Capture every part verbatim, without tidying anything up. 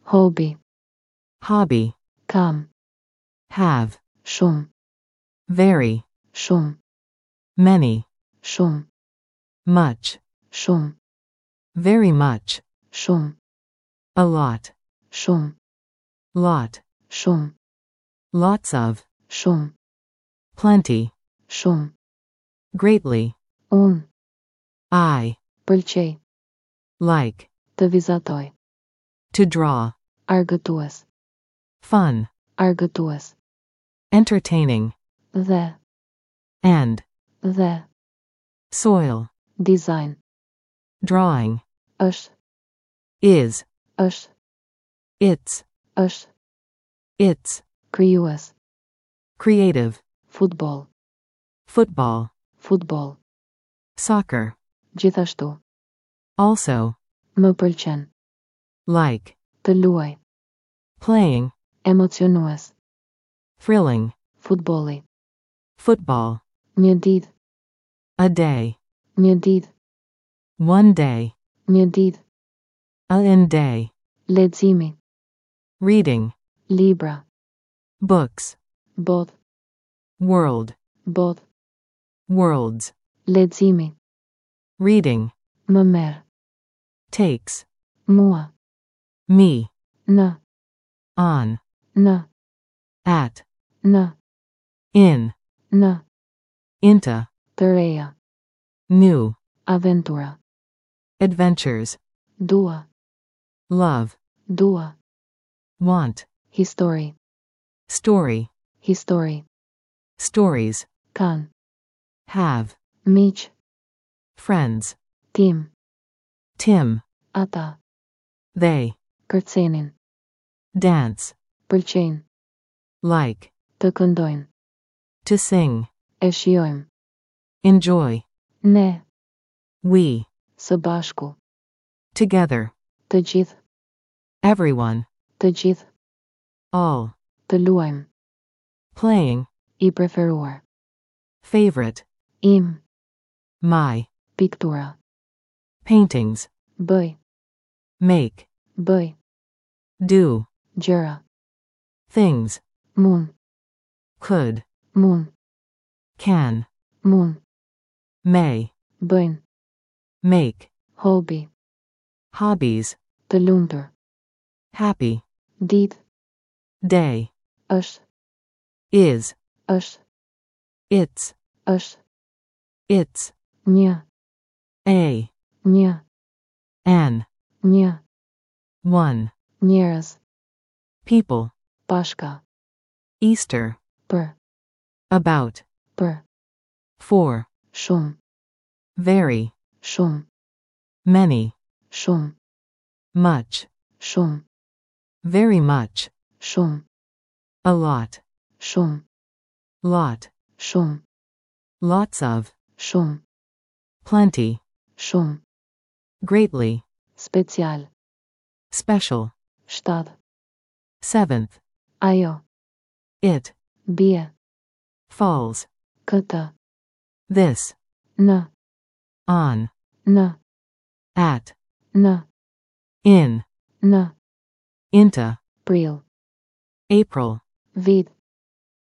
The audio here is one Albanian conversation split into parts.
Hobi. Hobby. Kam. Have. Shumë. Very. Shumë. Many. Shumë. Much. Shumë. Very much. Shumë. A lot. Shumë. Lot. Shumë. Lots of. Shumë. Plenty. Shumë. Greatly. Unë. I. Pëlqej. Like. Të vizatoj. To draw. Argëtues. Fun. Argëtues. Entertaining. Dhe. And. Dhe. Soil. Design. Drawing. Është. Is. Është. It's. Është. It's. Krijues. Creative. Futboll. Football. Futboll. Soccer. Gjithashtu. Also. Më pëlqen. Like. Të luaj. Playing. Emocionues. Thrilling. Futbolli. Football. Një ditë. A day. Një ditë. One day. Një ditë. A in day. Leximi. Reading. Libra. Books. Botë. World. Botë. Worlds. Leximi. Reading. Më merr. Takes. Mua. Me. Në. On. Në. At. Në. In. Në. Into. Të reja. New. Aventura. Adventures. Dua. Love. Dua. Want. Histori. Story. Histori. Stories. Kanë. Have. Miq. Friends. Tim. Tim. Ata. They. Kërcenin. Dance. Pëlqejnë. Like. Të këndojnë. To sing. E shijojmë. Enjoy. Ne. We. Së bashku. Together. Të gjithë. Everyone. Të gjithë. All. Të luajmë. Playing. I preferuar. Favorite. Im. My. Piktura. Paintings. Bëj. Make. Bëj. Do. Gjëra. Things. Mund. Could. Mund. Can. Mund. May. Bëjnë. Make. Hobi. Hobbies. Të lumtur. Happy. Ditë. Day. Është. Is. Është. It's. Është. It's. Një. A. Një. An. Një. One. Njerëz. People. Pashka. Easter. Për. About. Për. For. Shumë. Very. Shumë. Many. Shumë. Much. Shumë. Very much. Shumë. A lot. Shumë. Lot. Shumë. Lots of. Shumë. Plenty. Shumë. Greatly. Special. Special. Shtatë. Seventh. Ajo. It. Bie. Falls. Këtë. This. Në. On. Në. At. Në. In. Në. Into. Prill. April. Vit.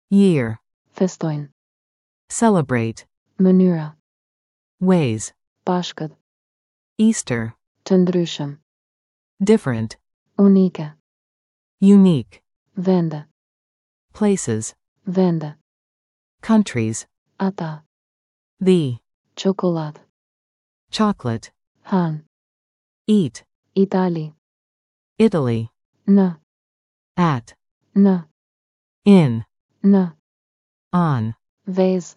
Year. Festojnë. Celebrate. Mënyra. Ways. Pashkët. Easter. Të ndryshëm. Different. Unike. Unique. Vende. Places. Vende. Countries. Ata. The. Çokoladë. Chocolate. Hanë. Eat. Itali. Italy. Në. At. Në. In. Në. On. Vezë.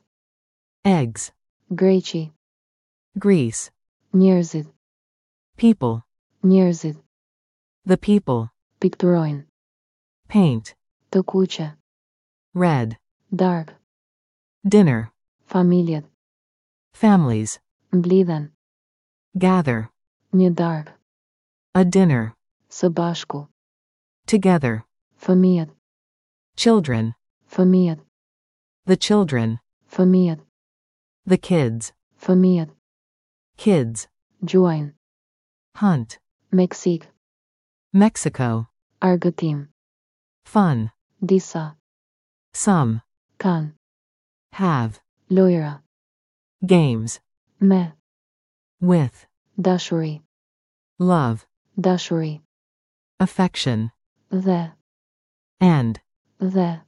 Eggs. Greqi. Greece. Njerëzit. People. Njerëzit. The people. Pikturojnë. Paint. Të kuqe. Red. Darkë. Dinner. Familjet. Families. Mblidhen. Gather. Një darkë. A dinner. Së bashku. Together. Fëmijët. Children. Fëmijët. The children. Fëmijët. The kids. Fëmijët. Kids. Gjuajnë. Hunt. Meksik. Mexico. Argëtim. Fun. Disa. Some. Kanë. Have. Lojra. Games. Me. With. Dashuri. Love. Dashuri. Affection. Dhe. And. Dhe.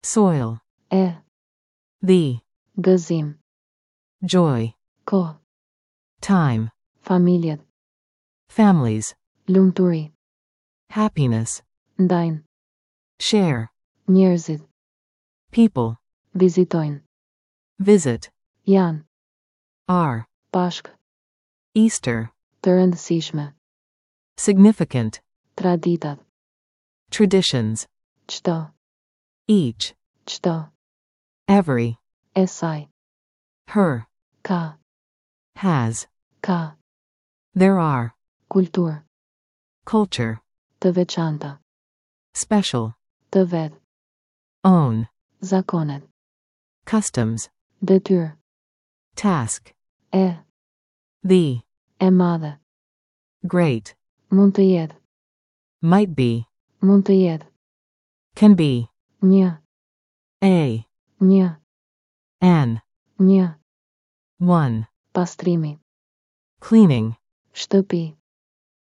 Soil. E. The. Gëzim. Joy. Kohë. Time. Familjet. Families. Lumturi. Happiness. Ndajnë. Share. Njerëzit. People. Vizitojnë. Visit. Janë. Are. Pashk. Easter. Të rëndësishme. Significant. Traditat. Traditions. Çdo. Each. Çdo. Every. E saj. Her. Ka. Has. Ka. There are. Kulturë. Culture. Të veçanta. Special. Të vet. Own. Zakonet. Customs. Detyrë. Task. E. The. E madhe. Great. Mund të jetë. Might be. Mund të jetë. Can be. Një. A. Një. An. Një. One. Pastrimi. Cleaning. Shtëpi.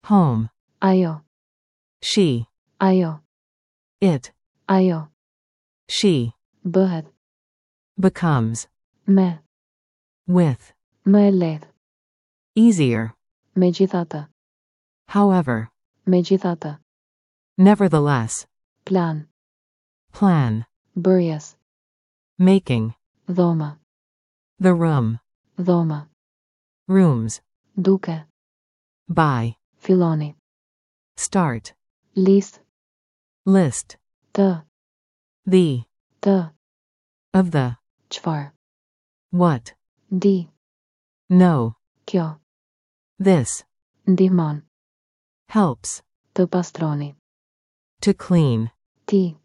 Home. Ajo. She. Ajo. It. Ajo. She. Bëhet. Becomes. Me. With. Më e lehtë. Easier. Megjithatë. However. Megjithatë. Nevertheless. Plan. Plan. Bërjes. Making. Dhoma. The room. Dhoma. Rooms. Duke. By. Filloni. Start. List. List. Të. The. Të. Of the. Çfarë. What. Di. No. Kjo. This. Ndihmon. Helps. Të pastroni. To clean. Ti.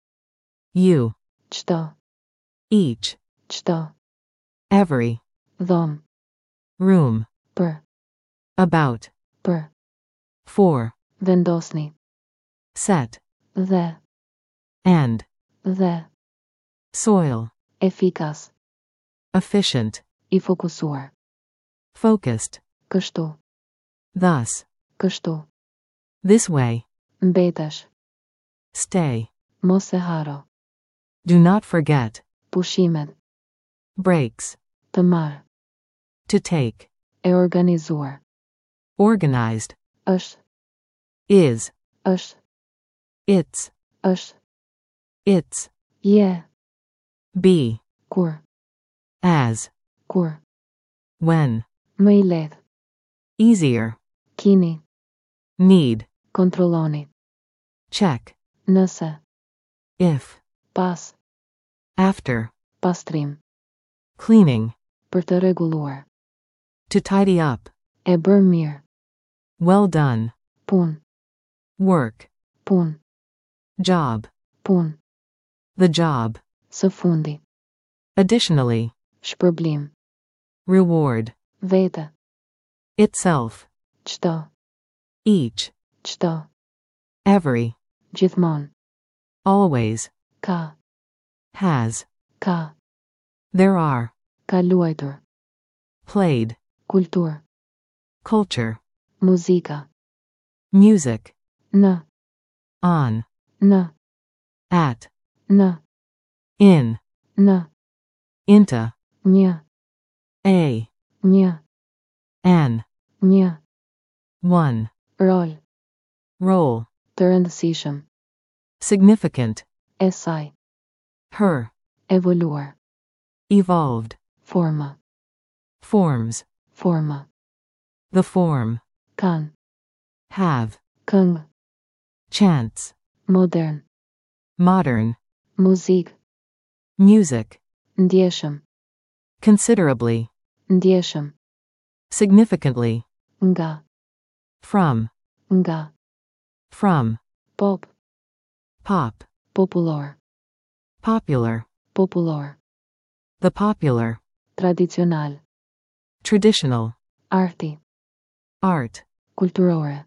You. Çdo. Each. Çdo. Every. Dhomë. Room. Për. About. Për. For. Vendosni. Set. Dhe. And. Dhe. Soil. Efikas. Efficient. I fokusuar. Focused. Kështu. Thus. Kështu. This way. Mbetesh. Stay. Mos e harro. Do not forget. Pushimet. Breaks. Të marrë. To take. E organizuar. Organized. Është. Is. Është. It's. Është. It's. Je. Be. Kur. As. Kur. When. Më i lehtë. Easier. Kini. Need. Kontrolloni. Check. Nëse. If. Pas. After. Pastrim. Cleaning. Për të rregulluar. To tidy up. E bërë mirë. Well done. Punë. Work. Punë. Job. Punë. The job. Së fundi. Additionally. Shpërblim. Reward. Vete. Itself. Çdo. Each. Çdo. Every. Gjithmonë. Always. Ka. Has. Ka. There are. Ka luajtur. Played. Kulturë. Culture. Muzika. Music. Në. On. Në. At. Në. In. Në. Into. Një. A. Një. An. Një. One. Rol. Role. Të rëndësishëm. Significant. E saj. Her. Evoluar. Evolved. Forma. Forms. Forma. The form. Kanë. Have. Këngë. Chants. Modern. Modern. Muzikë. Music. Ndjeshëm. Considerably. Ndjeshëm. Significantly. Nga. From. Nga. From. Pop. Pop. Popullor. Popular. Popullor. The popular. Tradicional. Traditional. Arti. Art. Kulturore.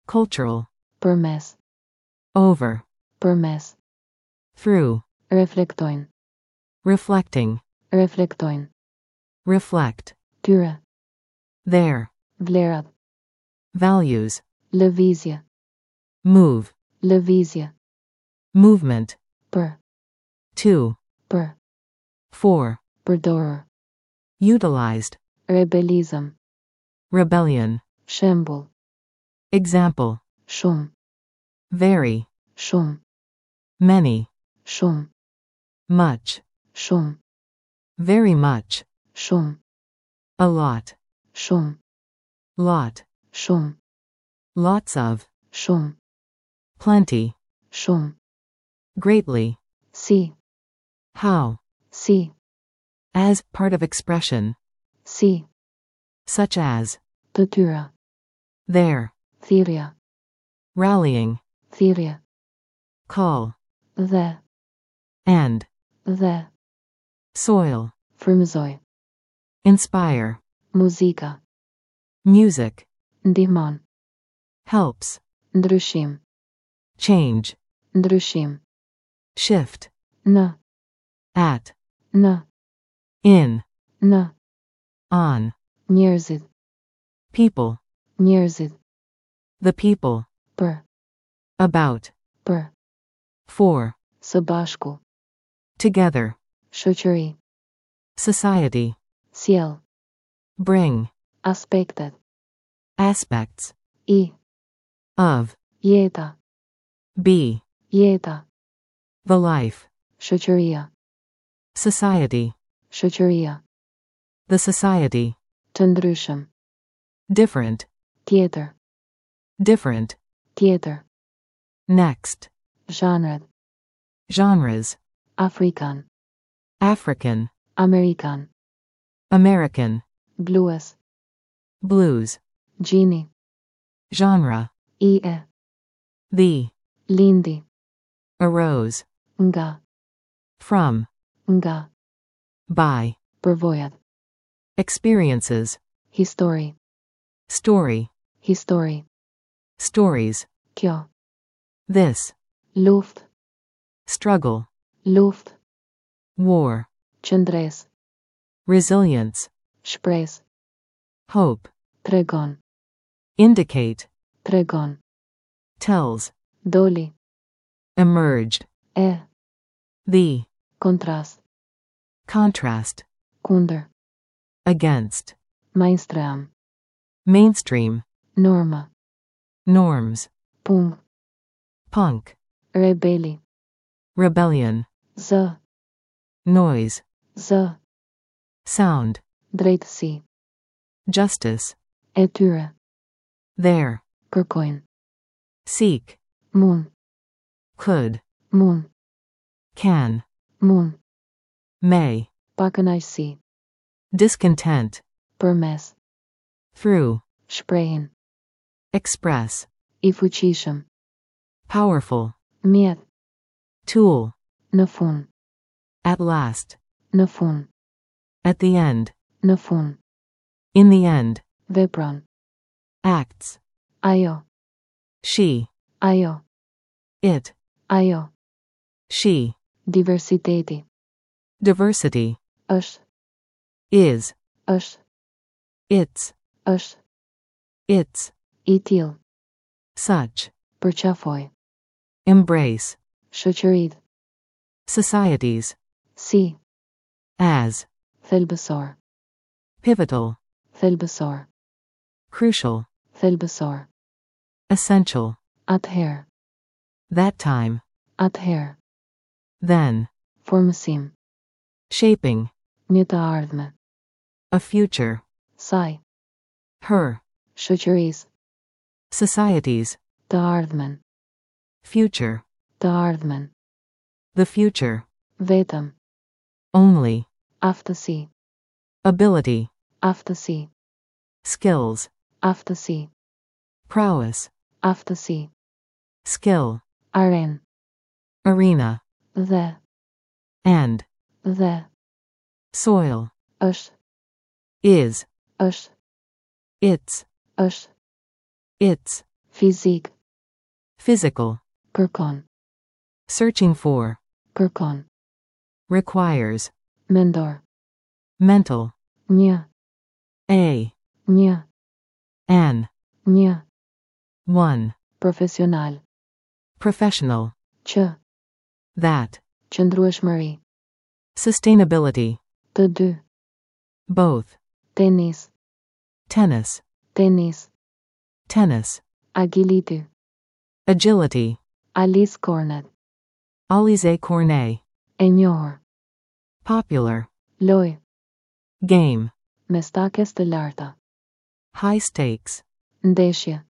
Cultural. Përmes. Over. Përmes. Through. Reflektojnë. Reflecting. Reflektojnë. Reflect. Tyre. Their. Vlerat. Values. Lëvizje. Move. Lëvizje. Movement. Për. To. Për. For. Përdorur. Utilized. Rebelizëm. Rebellion. Shembull. Example. Shumë. Very. Shumë. Many. Shumë. Much. Shumë. Very much. Shumë. A lot. Shumë. Lot. Shumë. Lots of. Shumë. Plenty. Shumë. Greatly. Si. How. Si. As part of expression. Si. Such as. Të tyra. Their. Thirrja. Rallying. Thirrje. Call. Dhe. And. Dhe. Soil. Frymëzoj. Inspire. Muzika. Music. Ndihmon. Helps. Ndryshim. Change. Ndryshim. Shift. Në. At. Në. In. Në. On. Njerëzit. People. Njerëzit. The people. Për. About. Për. For. Së bashku. Together. Shoqëri. Society. Sjell. Bring. Aspektet. Aspects. I. Of. Jeta. Be. Jeta. The life. Shoqëria. Society. Shoqëria. The society. Të ndryshëm. Different. Tjetër. Different. Tjetër. Next. Zhanret. Genres. Afrikan. African. Amerikan. American. Blues. Blues. Gjini. Genre. I e. The. Lindi. Arose. Nga. From. Nga. By. Përvojat. Experiences. Histori. Story. Histori. Stories. Kjo. This. Luftë. Struggle. Luftë. War. Qëndresë. Resilience. Shpresë. Hope. Tregon. Indicate. Tregon. Tells. Doli. Emerged. E. The. Kontrast. Contrast. Kundër. Against. Mainstream. Mainstream. Norma. Norms. Punk. Punk. Rebeli. Rebellion. Zë. Noise. Zë. Sound. Drejtësi. Justice. E tyre. Their. Kërkojnë. Seek. Mund. Could. Mund. Can. Mund. May. Pakënaqësi. Discontent. Përmes. Through. Shprehin. Express. I fuqishëm. Powerful. Mjet. Tool. Në fund. At last. Në fund. At the end. Në fund. In the end. Vepron. Acts. Ajo. She. Ajo. It. Ajo. She. Diversiteti. Diversity. Është. Is. Është. It's. Është. It's. I tillë. Such. Përqafoj. Embrace. Shoqërit. Societies. Si. As. Thelbësor. Pivotal. Thelbësor. Crucial. Thelbësor. Essential. Atëherë. That time. Atëherë. Then. Formësim. Shaping. Një të ardhme. A future. Saj. Her. Shoqërisë. Societies. Të ardhmen. Future. Të ardhmen. The future. Vetëm. Only. Aftësi. Ability. Aftësi. Skills. Aftësi. Prowess. Aftësi. Skill. Arenë. Arena. Dhe. And. Dhe. Soil. Është. Is. Është. It's. Është. It's. Fizik. Physical. Kërkon. Searching for. Kërkon. Requires. Mendor. Mental. Një. A. Një. An. Një. One. Profesional. Professional. Që. That. Qëndrueshmëri. Sustainability. Të dy. Both. Tenis. Tennis. Tenis. Tennis. Agility. Agility. Alize Cornet. Alize Cornet. E njohur. Popular. Lojë. Game. Me stakes të larta. High stakes. Ndeshje.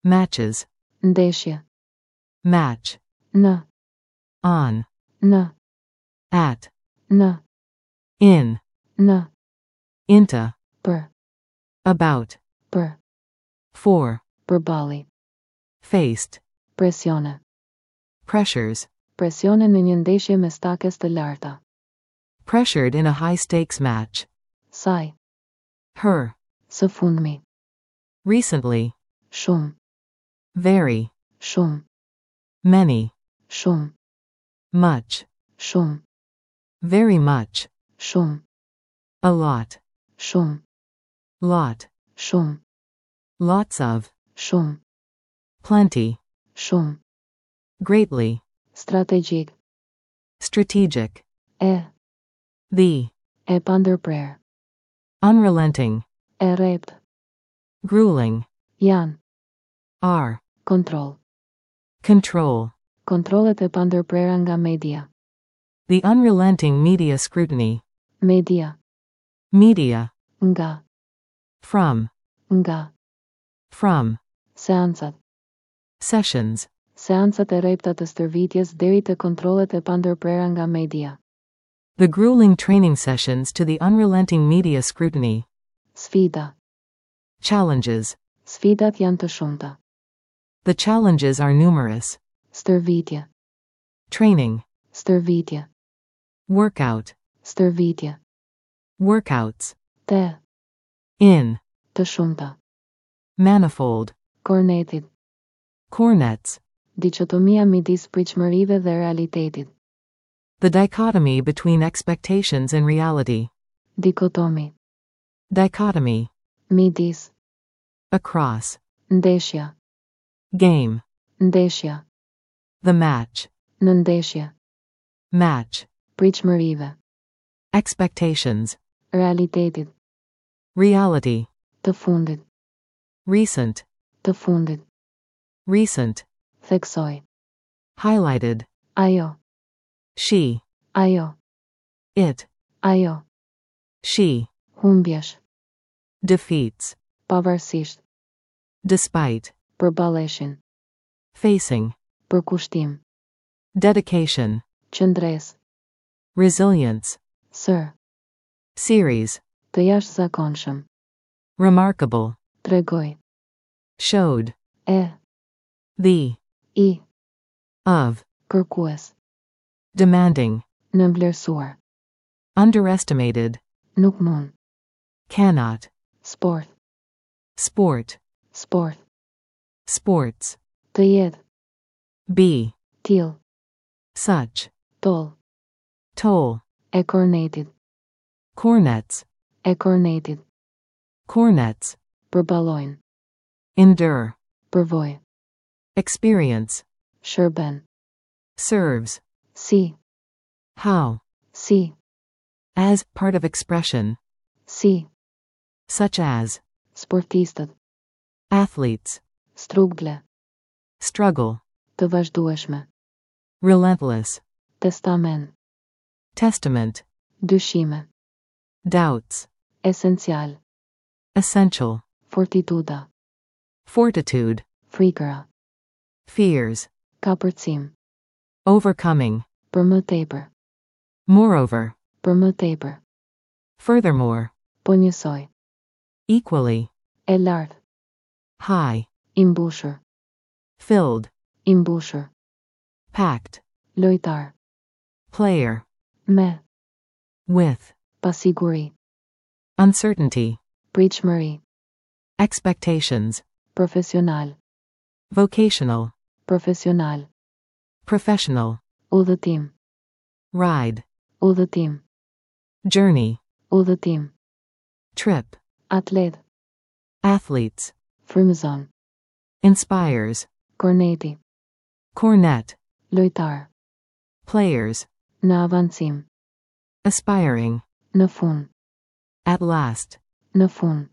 Matches. Ndeshje. Match. Në. On. Në. At. Në. In. Në. Into. Për. About. Për. For. Përballi. Faced. Presione. Pressures. Presione në një ndeshje me stakes të larta. Pressured in a high stakes match. Saj. Her. Së fundmi. Recently. Shumë. Very. Shumë. Many. Shumë. Much. Shumë. Very much. Shumë. A lot. Shumë. Lot. Shumë. Lots of. Shumë. Plenty. Shumë. Greatly. Strategjik. Strategic. E. The. E pandërprerë. Unrelenting. E rreptë. Grueling. Janë. Are. Kontroll. Control. Kontrollet e pandërprera nga media. The unrelenting media scrutiny. Media. Media. Nga. From. Nga. From. Seancat. Sessions. Seancat e rrepta të stërvitjes deri te kontrollet e pandërprera nga media. The grueling training sessions to the unrelenting media scrutiny. Sfida. Challenges. Sfidat janë të shumta. The challenges are numerous. Stërvitje. Training. Stërvitje. Workout. Stërvitje. Workouts. Te. In. Të shumta. Manifold. Kornetit. Cornets. Dikotomia midis pritshmërive dhe realitetit. The dichotomy between expectations and reality. Dikotomi. Dichotomy. Midis. Across. Ndeshja. Game. Ndeshja. The match. Në ndeshje. Match. Pritshmërive. Expectations. Realitetit. Reality. Të fundit. Recent. Të fundit. Recent. Theksoj. Highlighted. Ajo. She. Ajo. It. Ajo. She. Humbjesh. Defeats. Pavarësisht. Despite. Përballeshin. Facing. Përkushtim. Dedication. Qëndresë. Resilience. Sër. Series. Të jashtëzakonshëm. Remarkable. Tregoj. Showed. E. The. I. Of. Kërkues. Demanding. Nënvlerësuar. Underestimated. Nuk mund. Cannot. Sport. Sport. Sport. Sports. Të jetë. Be. Till. Such. Toll. Toll. E kornetit. Cornets. E kornetit. Cornets. Përballojnë. Endure. Përvojë. Experience. Shërben. Serves. Si. How. Si. As part of expression. Si. Such as. Sportistët. Athletes. Struggle. Struggle. Të vazhdueshme. Relentless. Testament. Testament. Dyshime. Doubts. Esencial. Essential. Fortituda. Fortitude. Frikëra. Fears. Kapërcim. Overcoming. Për më tepër. Moreover. Për më tepër. Furthermore. Po njësoj. Equally. E lartë. High. I mbushur. Filled. I mbushur. Packed. Lojtar. Player. Me. With. Pasiguri. Uncertainty. Pritshmëri. Expectations. Profesional. Vocational. Profesional. Professional. Udhëtim. Ride. Udhëtim. Journey. Udhëtim. Trip. Atlet. Athletes. Frymëzon. Inspires. Korneti. Cornet. Lojtar. Players. Në avancim. Aspiring. Në fund. At last. Në fund.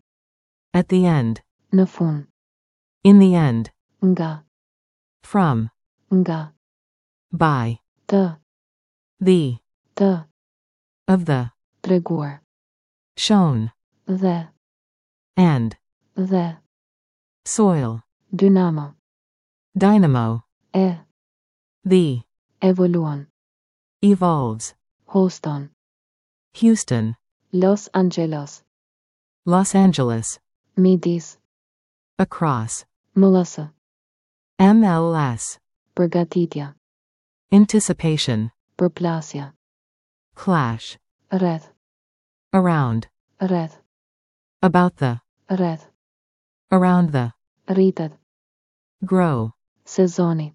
At the end. Në fund. In the end. Nga. From. Nga. By. Të. The. Të. Of the. Treguar. Shown. Dhe. And. Dhe. Soil. Dynamo. Dynamo. E. The. Evoluon. Evolves. Houston. Houston. Los Angeles. Los Angeles. Midis. Across. M L S. M L S. Përgatitja. Anticipation. Përplasja. Clash. Rreth. Around. Rreth. About the. Rreth. Around the. Rritet. Grow. Sezoni.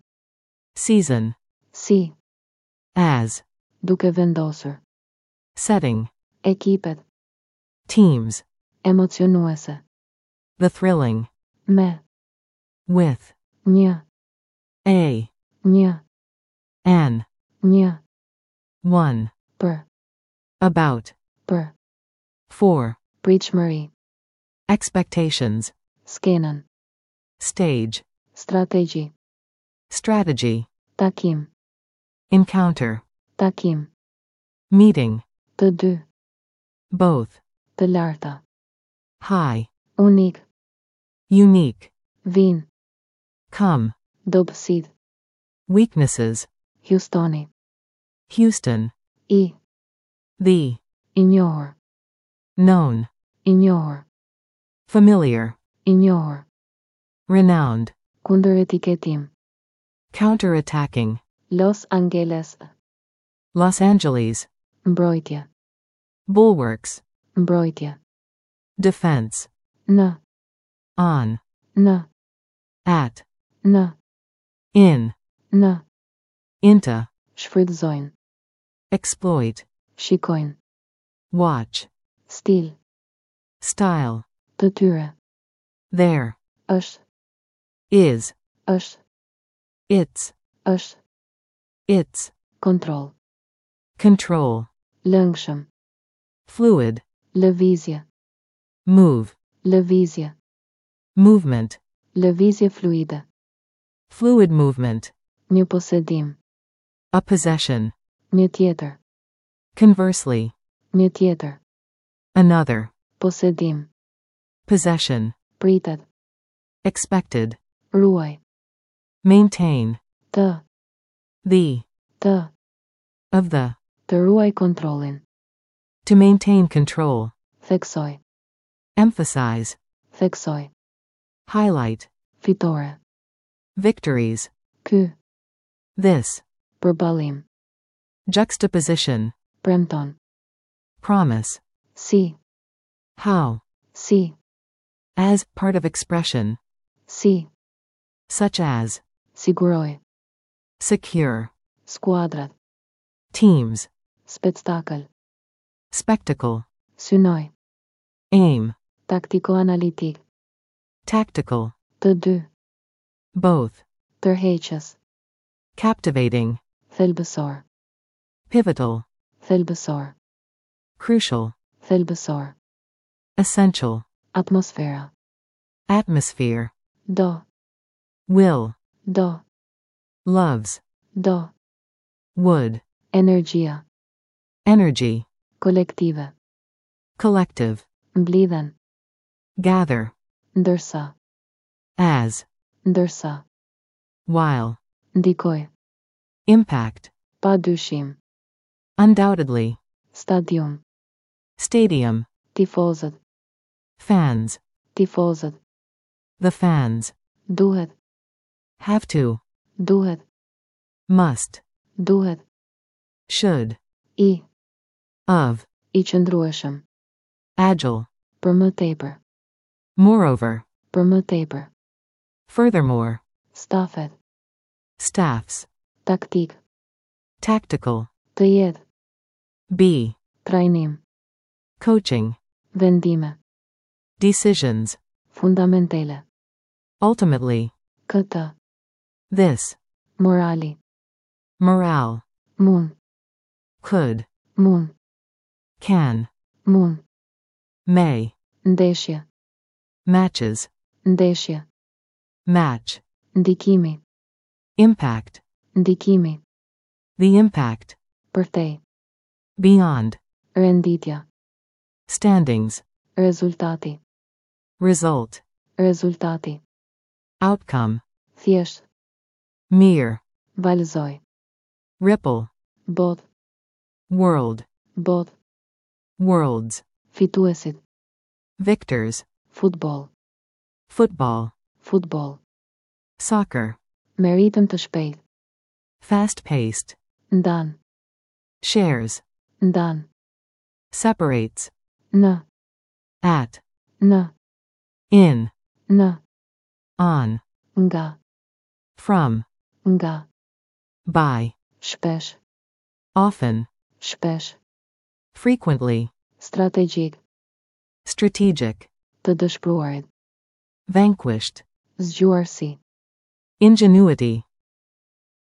Season. Si. As. Duke vendosur. Setting. Ekipet. Teams. Emocionuese. The thrilling. Me. With. Një. A. Një. An. Një. One. Për. About. Për. For. Pritshmëri. Expectations. Skenën. Stage. Strategji. Strategy. Takim. Encounter. Takim. Meeting. Të dy. Both. Të larta. High. Unik. Unique. Vin. Come. Dobësit. Weaknesses. Houstoni. Houston. I. The. I njohur. Known. I njohur. Familiar. I njohur. Renowned. Kundër etiketim. Counter-attacking. Los Angeles. Los Angeles. Mbrojtje. Bulwarks. Mbrojtje. Defense. Në. On. Në. At. Në. In. Në. Into. Shfrytëzojnë. Exploit. Shikojnë. Watch. Stil. Style. Të tyre. Their. Është. Is. Është. Its. Është. Its. Kontroll. Control. Lëngshëm. Fluid. Lëvizje. Move. Lëvizje. Movement. Lëvizje fluide. Fluid movement. Një posedim. A possession. Një tjetër. Conversely. Një tjetër. Another. Posedim. Possession. Pritet. Expected. Ruaj. Maintain. Të. The. Të. Of the. Të ruaj kontrollin. To maintain control. Theksoj. Emphasize. Theksoj. Highlight. Fitore. Victories. Ky. This. Përballim. Juxtaposition. Premton. Promise. Si. How. Si. As, part of expression. Si. Such as. Siguroj. Secure. Skuadrat. Teams. Spektakël. Spectacle. Synoj. Aim. Taktiko-analitik. Tactical. Të dy. Both. Tërheqës. Captivating. Thelbësor. Pivotal. Thelbësor. Crucial. Thelbësor. Essential. Atmosfera. Atmosphere. Do. Will. Do. Loves. Do. Would. Energjia. Energy. Kolektive. Collective. Mblidhen. Gather. Ndërsa. As. Ndërsa. While. Ndikoj. Impact. Pa dyshim. Undoubtedly. Stadium. Stadium. Tifozët. Fans. Tifozët. The fans. Duhet. Have to. Duhet. Must. Duhet. Should. I. Of. I qëndrueshëm. Agile. Për më tepër. Moreover. Për më tepër. Furthermore. Stafet. Staffs. Taktik. Tactical. Të jetë. Be. Trajnim. Coaching. Vendime. Decisions. Fundamentale. Ultimately. Këtë. This. Morali. Morale. Mund. Could. Mund. Can. Mund. May. Ndeshje. Matches. Ndeshje. Match. Ndikimi. Impact. Ndikimi. The impact. Përtej. Beyond. Renditja. Standings. Rezultati. Result. Rezultati. Outcome. Thjesht. Mere. Valëzoj. Ripple. Bot. World. Bot. Worlds. Fituesit. Victors. Futboll. Football. Futboll. Soccer. Me ritëm të shpejt. Fast paced. Ndan. Shares. Ndan. Separates. Në. At. Në. In. Në. On. Nga. From. Nga. By. Shpesh. Often. Shpesh. Frequently. Strategjik. Strategic. Të dëshpëruarit. Vanquished. Zgjuarsi. Ingenuity.